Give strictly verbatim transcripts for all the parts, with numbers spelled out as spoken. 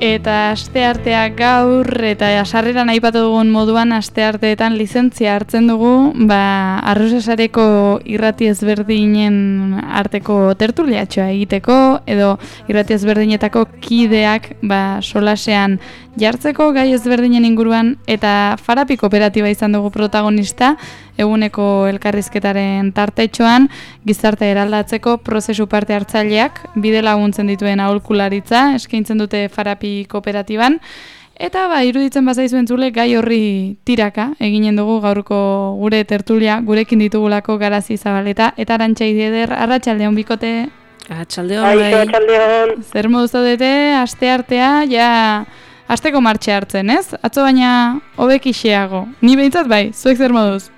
Eta asteartea gaur eta sarreran aipatu dugun moduan astearteetan lizentzia hartzen dugu, ba Arrosasareko irrati ezberdinen arteko tertuliatxoa egiteko edo irrati ezberdinetako kideak ba solasean jartzeko gai ezberdinen inguruan eta Farapi kooperatiba izan dugu protagonista eguneko elkarrizketaren tartetxoan gizarte eraldatzeko prozesu parte hartzaileak bide laguntzen dituen aholkularitza eskaintzen dute Farapi kooperatiban eta ba iruditzen bazaizu entzule gai horri tiraka eginen dugu gaurko gure tertulia gurekin ditugulako Garazi Zabaleta eta Arantxa Idieder. Arratsaldeon bikote. Arratsaldeon. Arratsaldeon. Zer modu zaudete asteartea ja asteko martxe hartzen, ez? Atzo baina hobekixeago. Ni behintzat bai, zuek zer moduz?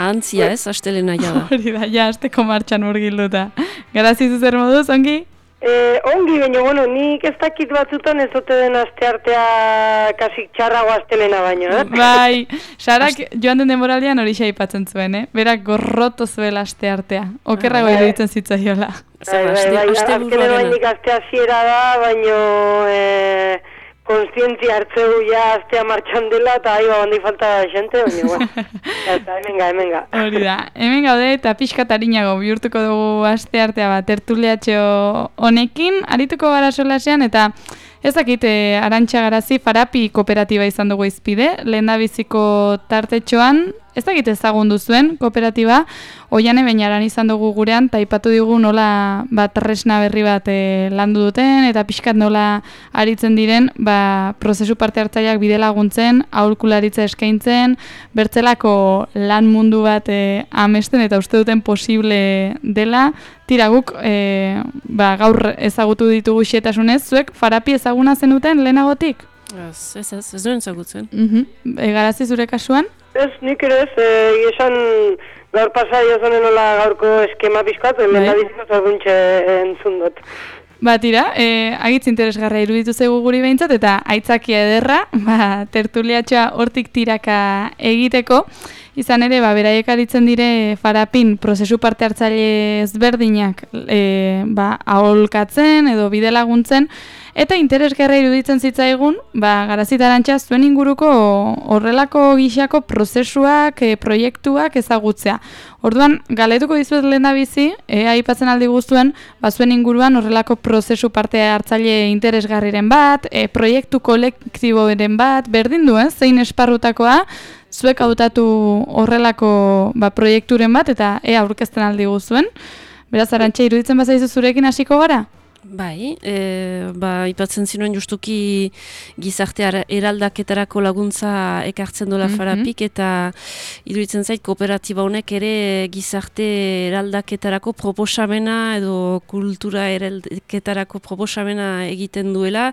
Antzia ez, astelena ja da. Hori da, ja, asteko martxan murgilduta. Garazi zu zer moduz, ongi? Eh, ongi, baina, bueno, nik ez dakit batzutan ez ote den asteartea kasik txarrago astelena baino, eh? Bai, Sarak joan den denboraldian hori aipatzen zuen, eh? Berak gorroto zuela asteartea. Okerrago iruditzen zitzaiola. Bai, bai, bai, azkenen bainik astea ziera da, baino... Eh, konstientzia hartzeu ja astea martxan dela eta ahi bandi falta da xente, baina, bueno, eta hemenga, hemenga. Hori da, hemen gaude eta pixka tarinago bihurtuko dugu aste artea bat tertuliatxo honekin, arituko gara solasean eta ez dakit Arantxa Garazi Farapi kooperatiba izan dugu izpide, lehendabiziko tartetxoan, ez dakit ezagun duzuen kooperatiba, Oiane Beñaran izan dugu gurean, eta aipatu digu nola bat tresna berri bat e, landu duten, eta pixkat nola aritzen diren, ba, prozesu parte hartzaileak bide laguntzen, aholkularitza eskaintzen, bertzelako lan mundu bat e, amesten, eta uste duten posible dela, tira guk e, ba, gaur ezagutu ditugu xetasunez, zuek Farapi ezaguna zenuten lehenagotik? Ez, ez, ez, ez duen ezagutzen. Uh-huh. E, Garazi zure kasuan? Ez, nik ere ez, e, esan gaur pasai ozonen nola gaurko eskema pixkat, hemen da biziko zorguntxe entzun dut. Ba, tira, e, agitz interesgarra iruditu zaigu guri behintzat, eta aitzakia ederra, ba, tertuliatxoa hortik tiraka egiteko, izan ere, ba, beraiek aritzen dire Farapin prozesu parte hartzaile ezberdinak e, ba, aholkatzen edo bide laguntzen, eta interesgarra iruditzen zitzaigun, ba, Garazi eta Arantxa zuen inguruko horrelako gixako prozesuak, e, proiektuak ezagutzea. Orduan, galetuko dizuet lehendabizi, e, aipatzen aldi guztuen, ba, zuen inguruan horrelako prozesu parte hartzaile interesgarriren bat, e, proiektu kolektiboren bat, berdin duen, zein esparrutakoa, zuek hautatu horrelako ba, proiekturen bat, eta ea aurkezten aldi guztuen. Beraz, Arantxa, iruditzen bazaizu zurekin hasiko gara? Bai, e, ba, ipatzen zinuen justuki gizarte eraldaketarako laguntza ekartzen dola mm-hmm. Farapik, eta iruditzen zait kooperatiba honek ere gizarte eraldaketarako proposamena edo kultura eraldaketarako proposamena egiten duela,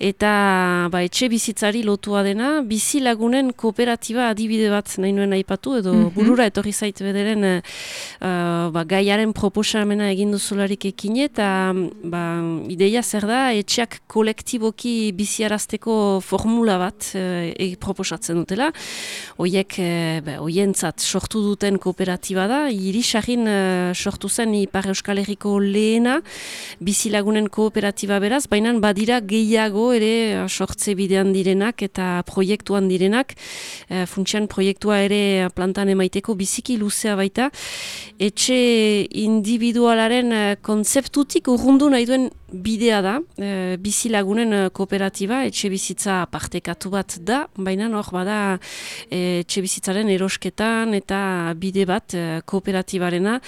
eta ba, etxe bizitzari lotua dena, bizi lagunen kooperatiba adibide bat nahi nuen aipatu, edo mm-hmm. burura etorri zait bederen uh, ba, gaiaren proposamena egin duzularik ekin, eta ba, ideia zer da, etxeak kolektiboki biziarazteko formula bat e, proposatzen dutela. Oiek, e, oientzat sortu duten kooperatiba da, Irisarrin e, sortu zen Ipar Euskal Herriko lehena bizilagunen kooperatiba beraz, baina badira gehiago ere sortze bidean direnak eta proiektuan direnak, e, funtsian proiektua ere plantan emaiteko biziki luzea baita. Etxe individualaren kontzeptutik urrundu nahi duen bidea da, e, bizilagunen kooperatiba, etxe bizitza partekatu bat da, baina hor bada e, etxe bizitzaren erosketan eta bide bat e, kooperatibarena.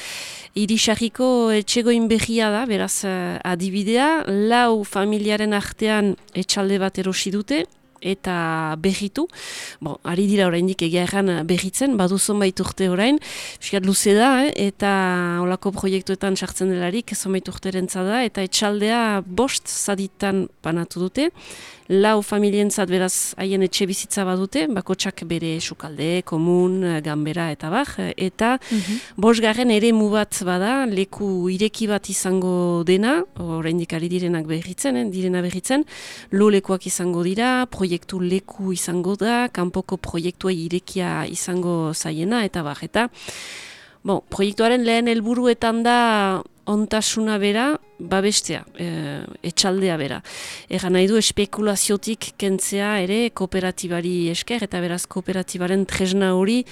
Irisarriko etxegoin berria da, beraz adibidea, lau familiaren artean etxalde bat erosi dute, eta berritu. Bon, ari dira oraindik egia erran berritzen, badu zonbait urte orain, fiskat luze da, eh? Eta olako proiektuetan sartzen delarik, zonbait urterentza da, eta etxaldea bost zaditan banatu dute, lau familientzat beraz haien etxe bizitza badute, bakotsak bere sukalde, komun, ganbera eta bar, eta mm-hmm. bosgarren eremu bat bada, leku ireki bat izango dena, oraindik ari direnak berritzen, eh? direna berritzen, lo lekuak izango dira, proiektu leku izango da, kanpoko proiektua irekia izango zaiena, eta bar, eta bon, proiektuaren lehen helburuetan da ontasuna bera babestea, e, etxaldea bera. Egan nahi du espekulaziotik kentzea ere kooperatibari esker, eta beraz kooperatibaren tresna hori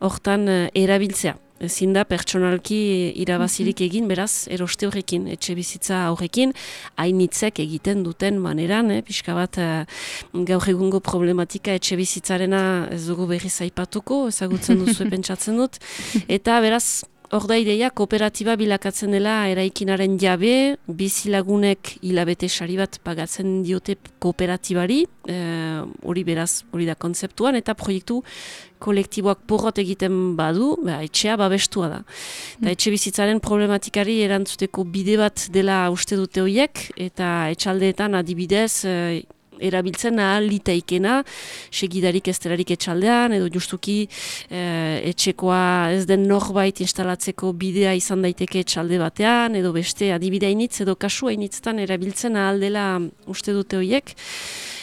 hortan e, erabiltzea. Ezin da pertsonalki irabazirik egin, beraz, eroste horrekin, etxe bizitza horrekin, hainitzek egiten duten maneran, eh, pixka bat eh, gaur egungo problematika etxe bizitzarena ez dugu berriz aipatuko, ezagutzen duzu pentsatzen dut, eta beraz, hor da ideia, kooperatiba bilakatzen dela eraikinaren jabe, bizilagunek hilabete sari bat pagatzen diote kooperatibari, hori e, beraz, hori da kontzeptuan, eta proiektu kolektiboak porrot egiten badu, ba, etxea babestua da. Mm. Da etxe bizitzaren problematikari erantzuteko bide bat dela uste dute horiek, eta etxaldeetan adibidez, e, erabiltzen ahal litaikena, segidarik ezterarik etxaldean, edo justuki e, etxekoa ez den norbait instalatzeko bidea izan daiteke etxalde batean, edo beste adibide hainitz, edo kasu hainitztan erabiltzen ahal dela uste dute horiek.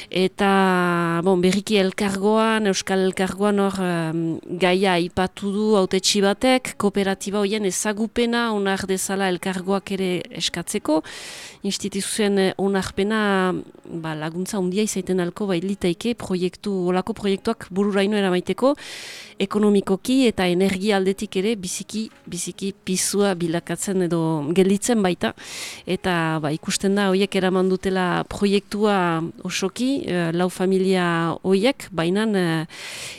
Eta bon, berriki elkargoan, Euskal Elkargoan hor um, gaia aipatu du hautetsi batek, kooperatiba horien ezagupena onar dezala elkargoak ere eskatzeko, instituzioen onarpena ba, laguntza handia izaiten alko bai litaike proiektu, olako proiektuak bururaino eramaiteko, ekonomikoki eta energia aldetik ere biziki, biziki pisua bilakatzen edo gelditzen baita, eta ba, ikusten da horiek eraman dutela proiektua osoki, lau familia horiek, baina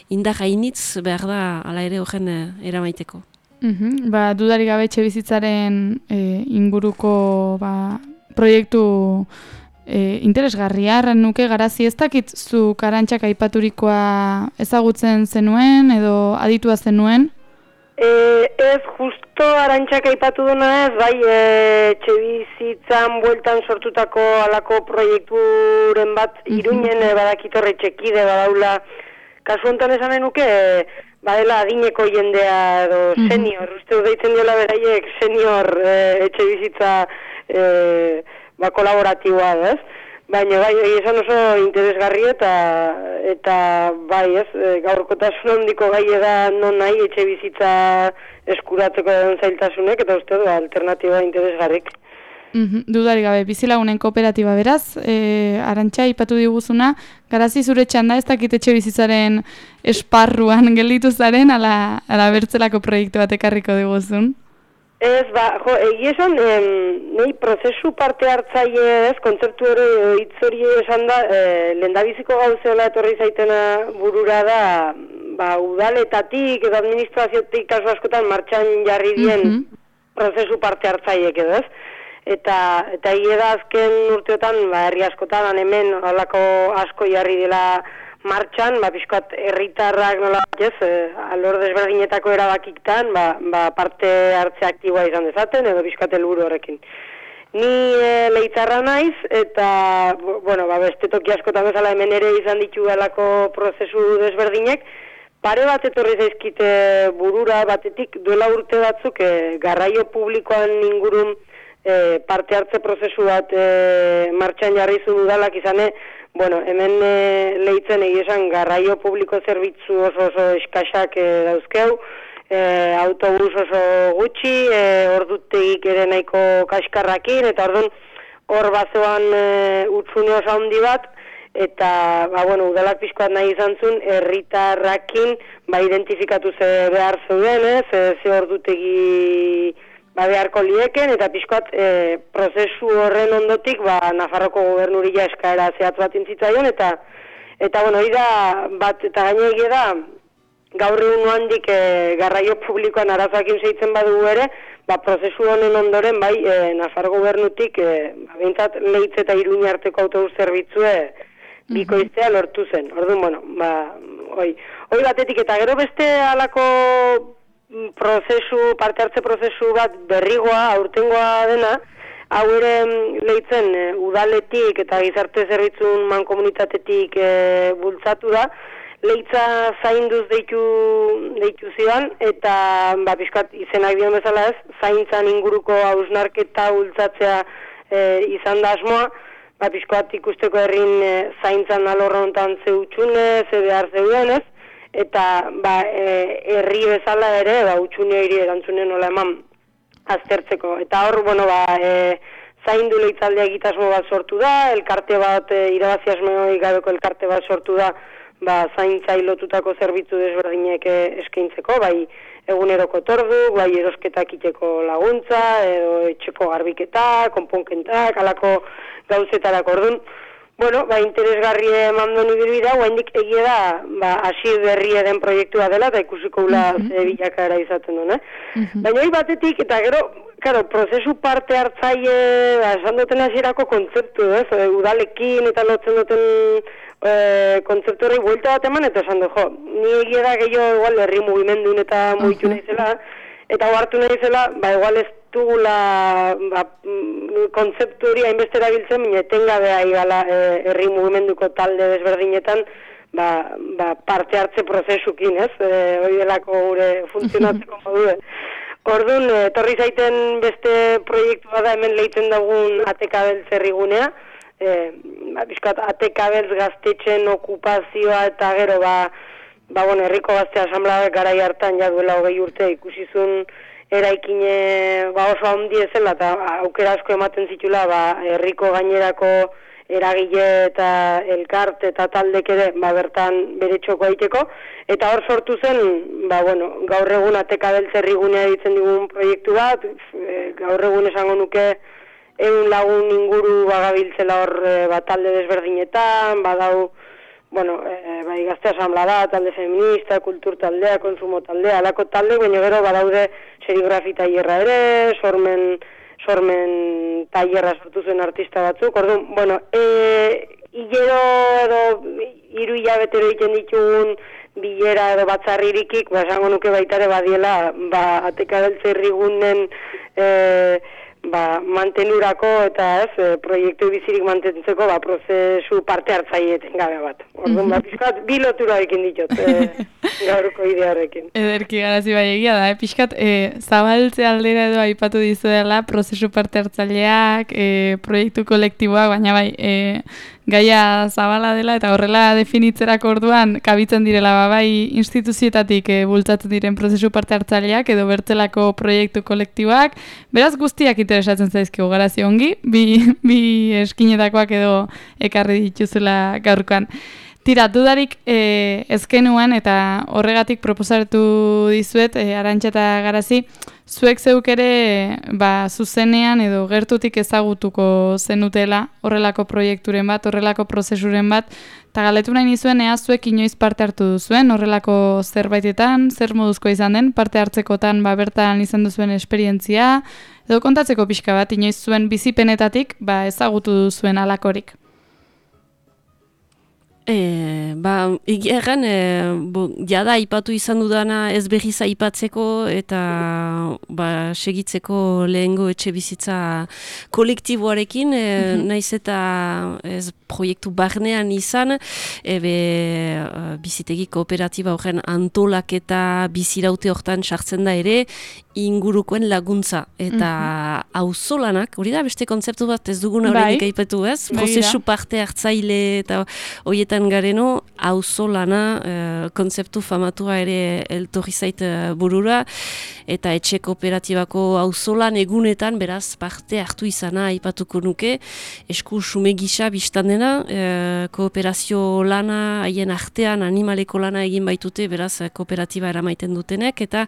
indar hainitz behar da ala ere horren eramaiteko. Mm-hmm. Ba, dudarik gabe etxe bizitzaren e, inguruko ba, proiektu e, interesgarria, erran nuke garazi ez dakit zu Arantxak aipaturikoa ezagutzen zenuen edo aditua zenuen? E, ez, justo Arantxak aipatu duna ez, bai, etxe bizitzan bueltan sortutako alako proiekturen bat Iruñen e, badakitorre txekide badaula. Kasu honetan esan nuke, e, badela adineko jendea edo senior, uste deitzen diola beraiek senior e, etxe bizitza e, ba, kolaboratiboa, ez? Baina bai, esan oso interesgarri eta eta bai, ez, gaurkotasun handiko gai da non nahi etxe bizitza eskuratzeko den zailtasunek, eta uste du alternatiba interesgarrik. Mm-hmm. Dudarik gabe, bizilagunen kooperatiba beraz, e, Arantxa ipatu diguzuna, garazi zure txanda ez dakit etxe bizitzaren esparruan gelditu zaren, ala, ala bertzelako proiektu bat ekarriko diguzun? Ez, ba, jo, egia esan, em, nahi prozesu parte hartzaile ez, kontzeptu hori hitz hori esan da, e, lehendabiziko gauzeola etorri zaitena burura da, ba, udaletatik edo administraziotik kasu askotan martxan jarri dien mm-hmm. prozesu parte hartzaileek edo ez. Eta, eta egia da azken urteotan, ba, herri askotan, hemen halako asko jarri dela martxan, ba, pixkoat herritarrak nola ez, e, alor desberdinetako erabakiktan, ba, ba, parte hartze aktiboa izan dezaten, edo pixkoat helburu horrekin. Ni e, leitzarra naiz, eta, bueno, ba, beste toki askotan bezala hemen ere izan ditu alako prozesu desberdinek, pare bat etorri zaizkite burura batetik duela urte batzuk e, garraio publikoan ingurun e, parte hartze prozesu bat e, martxan jarri zuen udalak izane, bueno, hemen e, lehitzen egizan garraio publiko zerbitzu oso oso eskaxak e, dauzkeu, e, autobus oso gutxi, e, ordutegik ere nahiko kaskarrakin, eta orduan hor bazoan e, utzune oso handi bat, eta, ba, bueno, udalak pixkoat nahi izan zuen, herritarrakin, ba, identifikatu ze behar zeuden, ez, ze, ze ordutegi ba, beharko lieken, eta pixkoat e, prozesu horren ondotik, ba, Nafarroko gobernurila eskaera zehatz bat intzitzaion, eta, eta bueno, hori da, bat, eta gaine egia da, gaur egun handik e, garraio publikoan arazoakin zeitzen badugu ere, ba, prozesu honen ondoren, bai, e, Nafar gobernutik, e, ba, behintzat Leitz eta Iruña arteko autobus zerbitzue bikoiztea lortu zen. Orduan, bueno, ba, hoi, hoi batetik, eta gero beste alako prozesu, parte hartze prozesu bat berrigoa, aurtengoa dena, hau ere Leitzen e, udaletik eta gizarte zerbitzun mankomunitatetik e, bultzatu da, Leitza zainduz deitu, deitu zidan, eta ba, pixkat izenak dion bezala ez, zaintzan inguruko hausnarketa bultzatzea e, izan da asmoa, ba, pixkat ikusteko herrin e, zaintzan alorra hontan zeutxune, ze behar zeuden ez, eta ba, e, herri bezala ere, ba, utxune hiri erantzunen nola eman aztertzeko. Eta hor, bueno, ba, e, zaindu leitzaldea egitasmo bat sortu da, elkarte bat, e, irabazi asmorik gabeko elkarte bat sortu da, ba, zaintzai lotutako zerbitzu desberdinek eskaintzeko, bai eguneroko tordu, bai erosketak iteko laguntza, edo etxeko garbiketa, konponkentak, alako gauzetarako orduan. Bueno, ba, interesgarri eman duen ibilbidea, guaindik egia da, ba, hasi berria den proiektua dela, eta ikusiko ula mm -hmm. ze bilakaera izaten duen, eh? Mm -hmm. Baina hori batetik, eta gero, claro, prozesu parte hartzaile, ba, esan duten hasierako kontzeptu, ez? Eh? Udalekin eta lotzen duten e, kontzeptu horri buelta bat eman, eta esan du, jo, ni egia da gehiago igual herri mugimendun eta mugitu uh -huh. nahizela, eta hartu nahizela, ba, igual ez dugula ba, kontzeptu hori hainbeste erabiltzen, baina etengabea igala herri e, mugimenduko talde desberdinetan ba, ba, parte hartze prozesukin, ez? E, hori delako gure funtzionatzeko modue. Orduan, etorri zaiten beste proiektua da hemen lehitzen dugun Atekabeltz herrigunea, e, ba, bizkat Atekabeltz gaztetxen okupazioa eta gero, ba, ba bueno, herriko gazte asamblea garai hartan ja duela hogei urte ikusizun eraikine ba oso handi ezela eta aukera asko ematen zitula ba herriko gainerako eragile eta elkarte eta taldek ere ba bertan bere txoko egiteko eta hor sortu zen ba bueno gaur egun Atekabeltz herrigunea ditzen digun proiektu bat e, gaur egun esango nuke ehun lagun inguru bagabiltzela hor e, ba talde desberdinetan badau bueno, e, bai gazte asamblea da, talde feminista, kultur taldea, konsumo taldea, alako talde, baina gero badaude serigrafi tailerra ere, sormen, sormen tailerra sortu zuen artista batzuk, orduan, bueno, e, hilero edo hiru hilabetero egiten ditugun bilera edo batzarririkik, ba, esango nuke baitare badiela, ba, Atekabeltz herrigunen e, ba, mantenurako eta ez, proiektu bizirik mantentzeko ba, prozesu parte hartzaieten gabe bat. Orduan, ba, pixkat, bi lotura ekin ditut, e, gaurko idearekin. Ederki garazi bai egia da, eh? Pixkat, e, zabaltze aldera edo aipatu dizuela, prozesu parte hartzaileak, e, proiektu kolektiboak, baina bai, e, gaia zabala dela eta horrela definitzerako orduan kabitzen direla ba, bai instituzioetatik e, bultzatzen diren prozesu parte hartzaileak edo bertzelako proiektu kolektiboak, beraz guztiak interesatzen zaizkigu garazi ongi, bi, bi eskinetakoak edo ekarri dituzula gaurkoan. Tira, dudarik e, ezkenuan eta horregatik proposatu dizuet, e, Arantxa eta Garazi, zuek zeuk ere ba, zuzenean edo gertutik ezagutuko zenutela horrelako proiekturen bat, horrelako prozesuren bat, eta galetu nahi nizuen ea zuek inoiz parte hartu duzuen horrelako zerbaitetan, zer moduzko izan den, parte hartzekotan ba, bertan izan duzuen esperientzia, edo kontatzeko pixka bat, inoiz zuen bizipenetatik ba, ezagutu duzuen alakorik. E, ba, egeran, e, bo, jada aipatu izan dudana ez berriz aipatzeko eta ba, segitzeko lehengo etxe bizitza kolektiboarekin, e, mm-hmm. naiz eta ez proiektu barnean izan, ebe bizitegi kooperatiba horren antolaketa biziraute hortan sartzen da ere, ingurukoen laguntza eta auzolanak, mm-hmm. hori da beste kontzeptu bat ez duguna horrenik bai. Aipatu ez, prozesu parte hartzaile eta horietan gareno, auzolana e, kontzeptu famatua ere eltorri zait e, burura, eta etxe kooperatibako auzolan egunetan beraz parte hartu izana aipatuko nuke, esku sume gisa biztan dena, e, kooperazio lana, haien artean animaleko lana egin baitute, beraz kooperatiba eramaiten dutenek, eta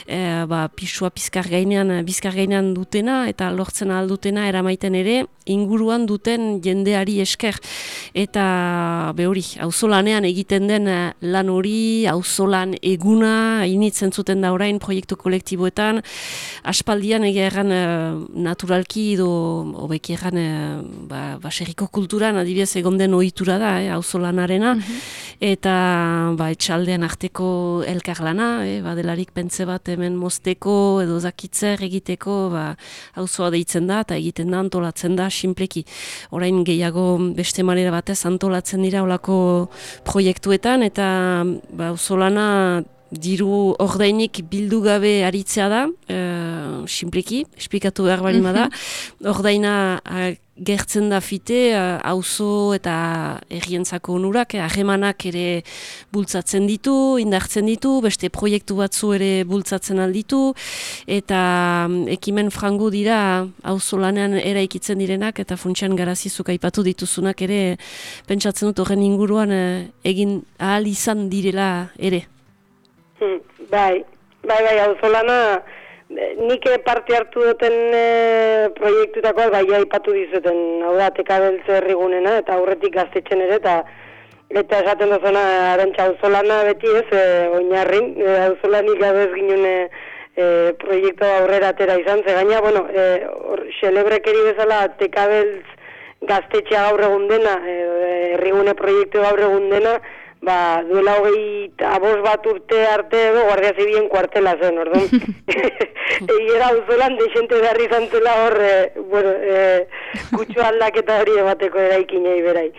e, ba, pisua bizkar gainean, bizkar gainean dutena, eta lortzen aldutena eramaiten ere, inguruan duten jendeari esker, eta be hori, auzolanean egiten den lan hori, auzolan eguna, initzen zuten da orain proiektu kolektiboetan, aspaldian egeran naturalki edo hobeki erran ba, baserriko kulturan adibidez egon den ohitura da, eh, auzolanarena, mm-hmm. eta ba, etxaldean arteko elkarlana, eh, badelarik pentze bat hemen mozteko edo zakitzer egiteko, ba, auzoa deitzen da eta egiten da, antolatzen da, sinpleki. Orain gehiago beste manera batez antolatzen dira olako proiektuetan eta ba, auzolana diru ordainik bildu gabe aritzea da, uh, simpliki, esplikatu behar bali da, ordaina uh, gertzen da fite, auzo eta herrientzako onurak, harremanak ere bultzatzen ditu, indartzen ditu, beste proiektu batzu ere bultzatzen alditu, eta ekimen frango dira auzolanean eraikitzen direnak, eta funtsian garazizuk aipatu dituzunak ere, pentsatzen dut horren inguruan egin ahal izan direla ere. Hmm, bai, bai, bai, auzolana, nik parte hartu duten e, proiektutakoa bai aipatu dizuten, hau da, tekabeltze herrigunena, eta aurretik gaztetxen ere, eta eta esaten duzuna Arantxa auzolana beti ez, e, oinarrin, e, auzolanik gabe ez ginen e, e, proiektu aurrera atera izan, ze gaina, bueno, e, or, xelebrekeri bezala tekabeltz gaztetxea gaur egun dena, e, herrigune proiektu gaur egun dena, ba, duela hogei abos bat urte arte edo Guardia Zibilen kuartela zen, orduan. Egiera auzolan desente beharri zantzela hor, e, bueno, e, kutsu aldaketa hori emateko eraikinei berai.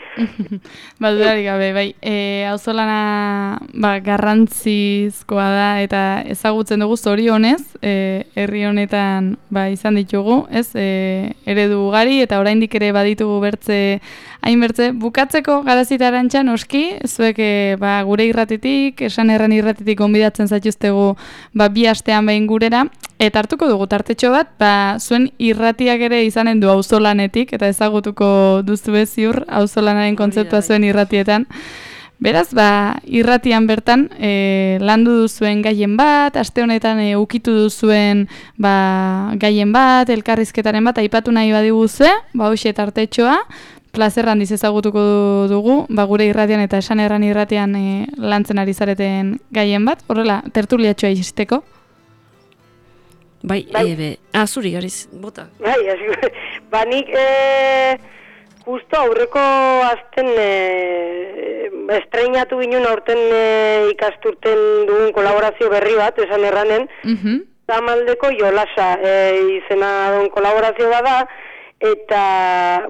Ba, dudarik gabe, bai, e, auzolana ba, garrantzizkoa da eta ezagutzen dugu zorionez, e, herri honetan ba, izan ditugu, ez, e, eredu ugari eta oraindik ere baditugu bertze hainbertze. Bukatzeko Garazita Arantxa, noski, zuek e, ba, gure irratitik, esan erran irratitik gonbidatzen zaituztegu ba, bi astean behin gurera, eta hartuko dugu tartetxo bat, ba, zuen irratiak ere izanen du auzolanetik, eta ezagutuko duzu ziur auzolanaren kontzeptua zuen irratietan. Beraz, ba, irratian bertan e, landu duzuen gaien bat, aste honetan e, ukitu duzuen ba, gaien bat, elkarrizketaren bat, aipatu nahi badiguzue, ba, hoxe tartetxoa, plazer handiz ezagutuko dugu, ba, gure irratian eta esan erran irratian e, lantzen ari zareten gaien bat, horrela, tertuliatxoa izteko. Bai, bai. Ebe, azuri gariz, bota. Bai, azuri, ba, nik, e, justo aurreko azten e, estreinatu ginen aurten e, ikasturten dugun kolaborazio berri bat, esan erranen, uh-huh. Zamaldeko Jolasa e, izena duen kolaborazio bada, eta,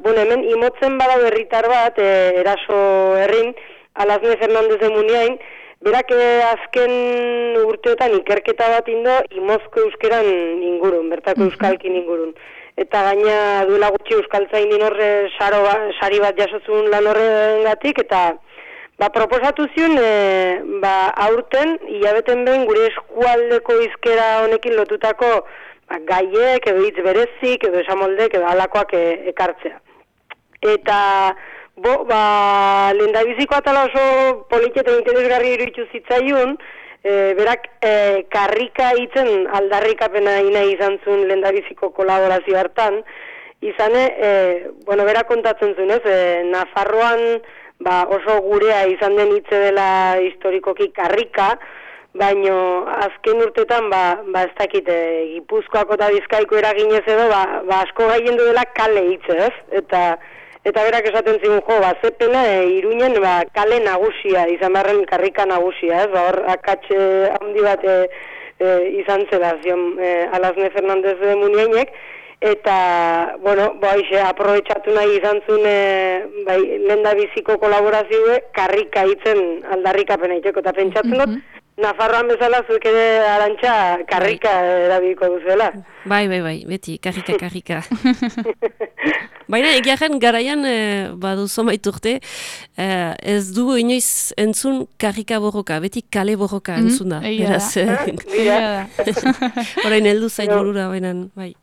bueno, hemen imotzen bada berritar bat, e, eraso herrin, Alasne Fernandez de Muniain, berak e, azken urteotan ikerketa bat indo imozko euskeran ingurun, bertako euskalkin ingurun. Eta gaina duela gutxi euskaltzainin horre saro ba, sari bat jasozun lan horrengatik, eta ba, proposatu zion, e, ba, aurten, hilabeten behin gure eskualdeko hizkera honekin lotutako ba, gaiek, edo hitz berezik, edo esamoldek, edo alakoak e, ekartzea. Eta, bo, ba, lehendabiziko atala oso politia eta interesgarri iruditu zitzaiun, e, berak e, karrika hitzen aldarrikapena ina izan zuen lehendabiziko kolaborazio hartan, izane, e, bueno, berak kontatzen zuen, ez, e, Nafarroan ba, oso gurea izan den hitze dela historikoki karrika, baino azken urtetan ba, ba ez dakit, e, Gipuzkoako eta Bizkaiko eraginez edo, ba, ba asko gaien dela kale hitze, ez, eta Eta berak esaten zigun, jo, ba, zepena e, Iruinen ba, kale nagusia, izan beharren karrika nagusia, ez, ba, hor akatxe handi bat e, e, izan zela, zion, e, Alasne Fernandez de Muniainek, eta, bueno, ba, ixe, aprobetxatu nahi izan zuen, e, bai, lehendabiziko kolaborazioe, karrika hitzen aldarrikapena iteko, eta pentsatzen dut, Nafarroan bezala zuek ere Arantxa karrika erabiliko duzuela. Bai, bai, bai, beti, karrika, karrika. Baina egiaren garaian, e, baduzo maiturte, e, ez dugu inoiz entzun karrika borroka, beti kale borroka mm-hmm. entzun da. Egia da. Horain heldu zait burura, bainan, bai.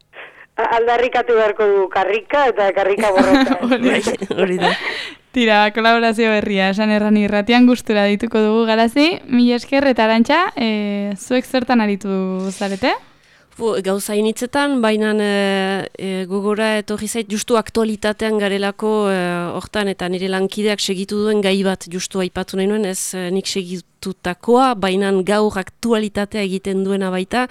Aldarrikatu beharko du karrika eta karrika borroka. Hori da. Tira, kolaborazio berria, esan erran irratian gustura dituko dugu Garazi. Mila esker eta Arantxa, e, zuek zertan aritu zarete? Gauza initzetan, baina e, e, gogora etorri zait justu aktualitatean garelako e, hortan eta nire lankideak segitu duen gai bat justu aipatu nahi nuen, ez e, nik segitutakoa, baina gaur aktualitatea egiten duena baita,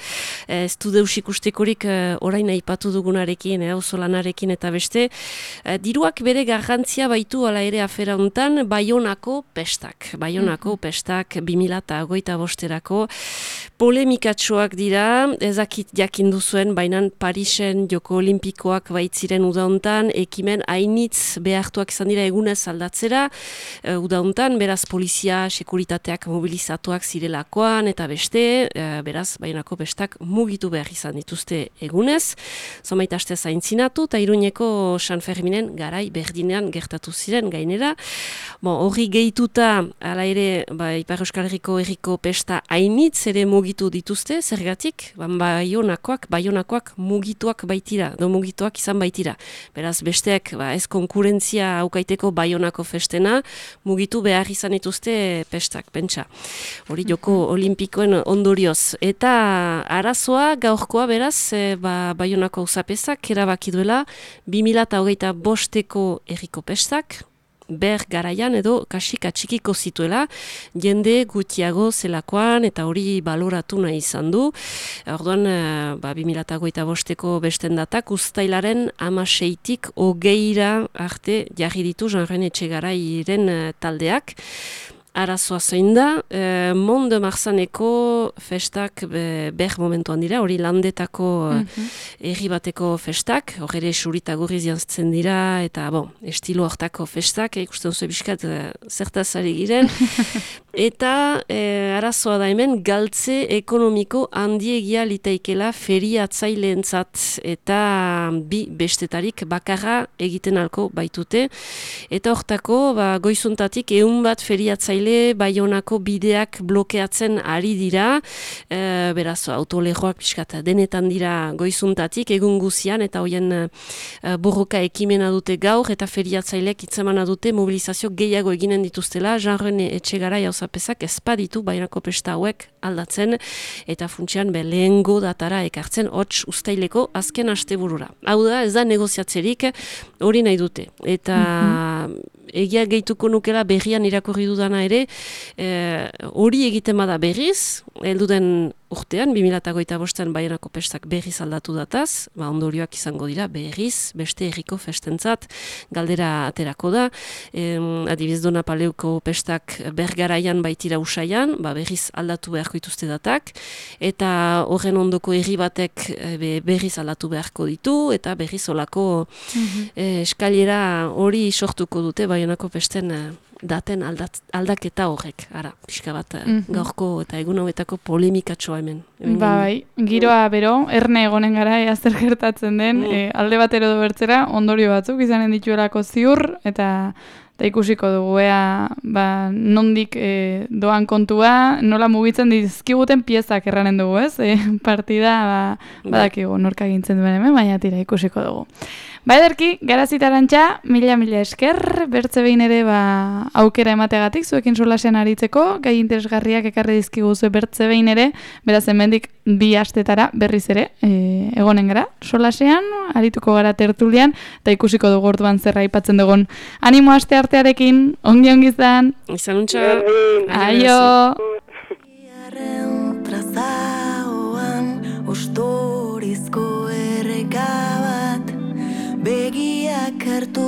e, ez du deus ikustekorik e, orain aipatu dugunarekin, e, auzolanarekin eta beste. E, diruak bere garrantzia baitu ala ere afera hontan, Baionako pestak, Baionako pestak bi mila hogeita bosterako, polemikatxoak dira, ezakit jakindu zuen, baina Parisen Joko Olimpikoak baitziren udauntan, ekimen hainitz behartuak izan dira egunez aldatzera, e, udauntan, beraz polizia, sekuritateak mobilizatuak zirelakoan, eta beste, e, beraz, bainako bestak mugitu behar izan dituzte egunez, zomait aste zaintzinatu, eta Iruñeko San Ferminen garai berdinean gertatu ziren gainera. Bon, horri gehituta, ala ere, ba, Ipar Euskal Herriko herriko pesta hainitz ere mugitu dituzte, zergatik, ban baionakoak, baionakoak mugituak baitira, do mugituak izan baitira. Beraz, besteak ba, ez konkurentzia aukaiteko baionako festena, mugitu behar izan dituzte pestak, pentsa. Hori Joko Olimpikoen ondorioz. Eta arazoa, gaurkoa beraz, e, ba, baionako auzapezak erabaki duela, bi mila hogeita bosteko herriko pestak, ber garaian edo kasika txikiko zituela, jende gutiago zelakoan eta hori baloratu nahi izan du. Orduan, ba, bi mila hogeita bosteko besten datak, uztailaren amaseitik hogeira arte jarri ditu Jean-René Etxegarairen taldeak. Arazoa zein da, e, Mont de Marsaneko festak be, ber momentuan dira, hori landetako mm-hmm. erri bateko festak, hori ere surita gurriz jantzen dira, eta bon, estilo hortako festak, ikusten zuen biskat e, zertazari giren, eta e, arazoa da hemen galtze ekonomiko handiegia litaikela feriatzaileentzat, eta bi bestetarik bakarra egiten alko baitute, eta hortako ba, goizuntatik ehun bat feriatzaile Baionako bideak blokeatzen ari dira, e, beraz autolejoak pixkat denetan dira goizuntatik, egun guzian, eta hoien e, borroka ekimena dute gaur, eta feriatzailek itzemana dute mobilizazio gehiago eginen dituztela, Jean-René Etxegarai auzapezak ezpaditu Baionako pesta hauek aldatzen, eta funtsian be lehengo datara ekartzen hots uztaileko azken asteburura. Hau da, ez da negoziatzerik hori nahi dute, eta mm-hmm. egia gehituko nukela berrian irakurri dudana ere, hori e, egiten bada berriz, helduden urtean, bi mila hogeita bostean Baionako pestak berriz aldatu dataz, ba ondorioak izango dira berriz, beste herriko festentzat, galdera aterako da, e, adibiz Dona Paleuko pestak bergaraian baitira usaian, ba berriz aldatu beharko dituzte datak, eta horren ondoko herri batek e, berriz aldatu beharko ditu, eta berriz olako mm-hmm. e, eskailera hori sortuko dute Baionako pesten daten aldat, aldaketa horrek, ara, pixka bat mm-hmm. gaurko eta egun hauetako polemikatxoa hemen. hemen ba, bai, giroa bero, erne egonen gara, ea zer gertatzen den, mm. e, alde batero do bertzera, ondorio batzuk izanen dituelako ziur, eta eta ikusiko dugu, ea, ba, nondik e, doan kontua, nola mugitzen dizkiguten piezak erranen dugu, ez? E, partida, ba, badakigu, norka gintzen duen hemen, baina tira ikusiko dugu. Ba, ederki, Garazitarantxa, mila-mila esker, bertze behin ere ba, aukera emategatik, zuekin solasean aritzeko, gai interesgarriak ekarri dizkigu zue bertze behin ere, beraz hemendik bi astetara berriz ere, e, egonen gara, solasean, arituko gara tertulian, eta ikusiko dugu orduan zerra aipatzen dugun. Animo aste artearekin, ongi ongi izan. Izan untxa. Aio. Ustorizko erreka bat begiak hartu